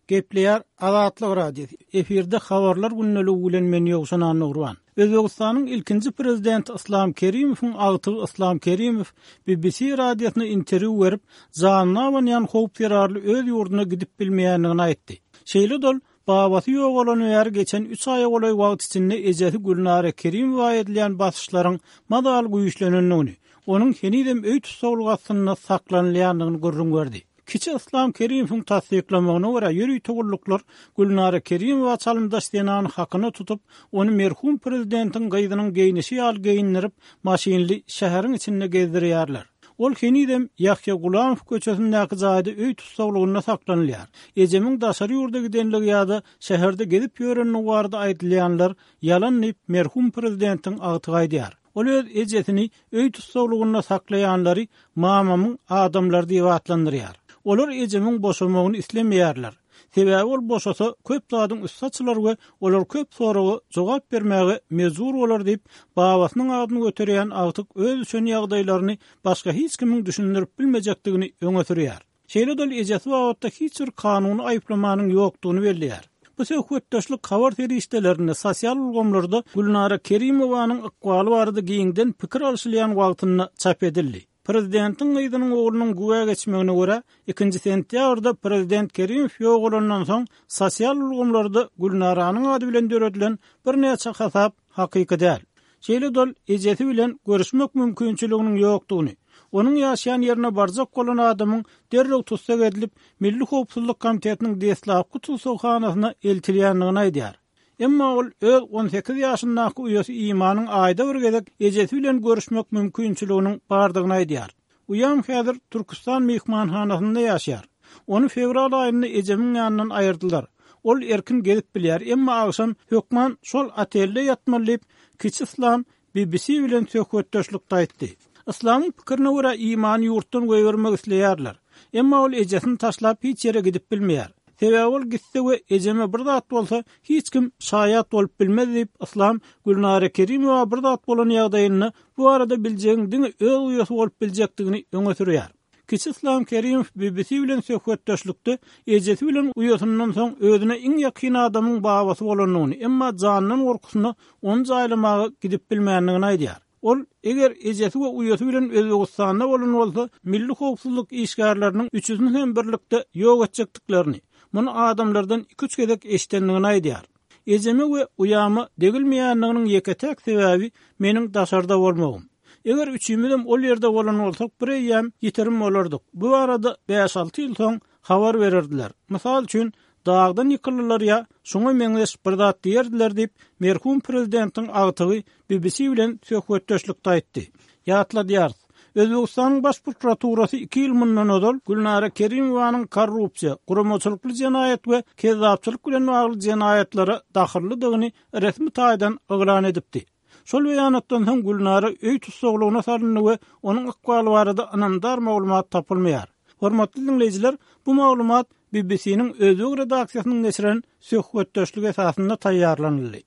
Gepleýär Azatlyk Radiosy, efirde Habarlar gündeligi bilen men Ýowşan Annagurban. Özbegistanyň ilkinji prezidenti Yslam Kerimowyň agtygy Yslam Kerimow BBC radiosyna interwýu berip, janyna abanýan howp zerarly öz ýurduna gidip bilmeýändigini aýtdy. Şeýle-de ol, babasy ýogalany bäri geçen üç aýa golaý wagt içinde ejesi Gülnara Kerimowa edilýän basyşlaryň mazaly güýçlenendigini, onuň henizem öý tussaglygy astynda saklanylýandygyny gürrüň berdi. Kiçi Yslam Kerimowyň tassyklamagyna görä, ýörite gulluklar Gülnara Kerimowa çalymdaş zenany hakyna tutup, ony merhum prezidentiň gyzynyň geýnişi ýaly geýindirip, maşynly şäheriň içinde gezdirýärler. Ol henizem Ýahýa Gulamow köçesindäki jaýda öý tussaglygynda saklanylýar. Ejemiň daşary ýurda gidenligi ýa-da şäherde gezip ýörenligi barada aýdylýanlar ýalan diýip, merhum prezidentiň agtygy aýdýar. Ol öz ejesini öý tussaglygynda saklaýanlary mamamyň adamlary diýip atlandyrýar. Olar ejemiň boşamagyny islemeýärler. Sebäbi ol boşasa, köp zadyň üsti açylar we olar köp soraga jogap bermäge mejbur bolar diýip, babasynyň adyny göterýän agtyk öz düşen ýagdaýlaryny başga hiç kimiň düşündirip bilmejekdigini öňe sürýär. Şeýle-de ol ejesi babatda hiç bir kanuny aýyplamanyň ýokdugyny belleýär. Bu söhbetdeşlik habar serişdelerinde, sosial ulgamlarda Gülnara Kerimowanyň ykbaly barada giňden pikir alşylýan wagtynda çap edildi. Prezidentiň gyzynyň oglunyň güwä geçmegine görä, ikinji sentýabrda prezident Kerimow ýogalandan soň sosial ulgamlarda Gülnaranyň ady bilen döredilen birnäçe hasap hakyky däl. Şeýle-de ol ejesi bilen görüşmek mümkinçiliginiň ýokdugyny, onuň ýaşaýan ýerine barjak bolan adamyň derrew tussag edilip, Milli howpsuzlyk komitetiniň deslapky tussaghanasyna eltilýändigini aýdýar. Emma ol öz 18 ýaşyndaky uýasy Imanyň aýda bir gezek ejesi bilen görüşmek mümkinçiliginiň bardygyny aýdýar. Uýam häzir Türküstan myhmanhanasynda ýaşaýar. Ony fewral aýynda ejemiň ýanyndan aýyrdylar. Ol erkin gezip bilýär, emma agşam hökman şol otelde ýatmaly diýip, kiçi Yslam BBC bilen söhbetdeşlikde aýtdy. Yslamyň pikirine görä, Imany ýurtdan goýbermek isleýärler. Emma ol ejesini taşlap hiç ýere gidip bilmeýär. Sebäbi ol gitse we ejeme bir zat bolsa, hiç kim şaýat bolup bilmez diýip, Yslam Gülnara Kerimowa bir zat bolan ýagdaýynda bu barada biljegiň diňe öz uýasy bolup biljekdigini öňe sürýär. Kiçi Yslam Kerimow BBC bilen söhbetdeşlikde ejesi bilen uýasyndan soň özüne iň ýakyn adamyň babasy bolandygyny, emma janyndan gorkusyna ony jaýlamaga gidip bilmändigini aýdýar. Ol, eger ejesi we uýasy bilen Özbegistanda bolan bolsa, milli howpsuzlyk işgärleriniň üçüsini hem birlikde ýok etjekdiklerini, muny adamlardan iki-üç gezek eşidendigini aýdýar. Ejeme we uýama degilmeýändiginiň ýeke-täk sebäbi meniň daşarda bolmagym. Eger üçimizem ol ýerde bolan bolsak, bireýýäm ýitirim bolardyk. Bu barada bäş-alty ýyl soň habar bererdiler. Mysal üçin, dagdan ýykyldylar ýa şuňa meňzeş bir zat diýerdiler diýip, merhum prezidentiň agtygy BBC bilen söhbetdeşlikde aýtdy. Ýatladýarys, Özbegistanyň Baş prokuraturasy iki ýyl mundan ozal Gülnara Kerimowanyň korrupsiýa, guramaçylykly jenaýat we kezzapçylyk bilen bagly jenaýatlara dahyllydygyny resmi taýdan yglan edipdi. Şol beýanatdan soň Gülnara öý tussaglygyna salyndy we onuň ykbaly barada ynamdar maglumat tapylmaýar. Hormatly diňleýjiler, bu maglumat BBC-niň özbek redaksiýasynyň geçiren söhbetdeşligi esasynda taýýarlanyldy.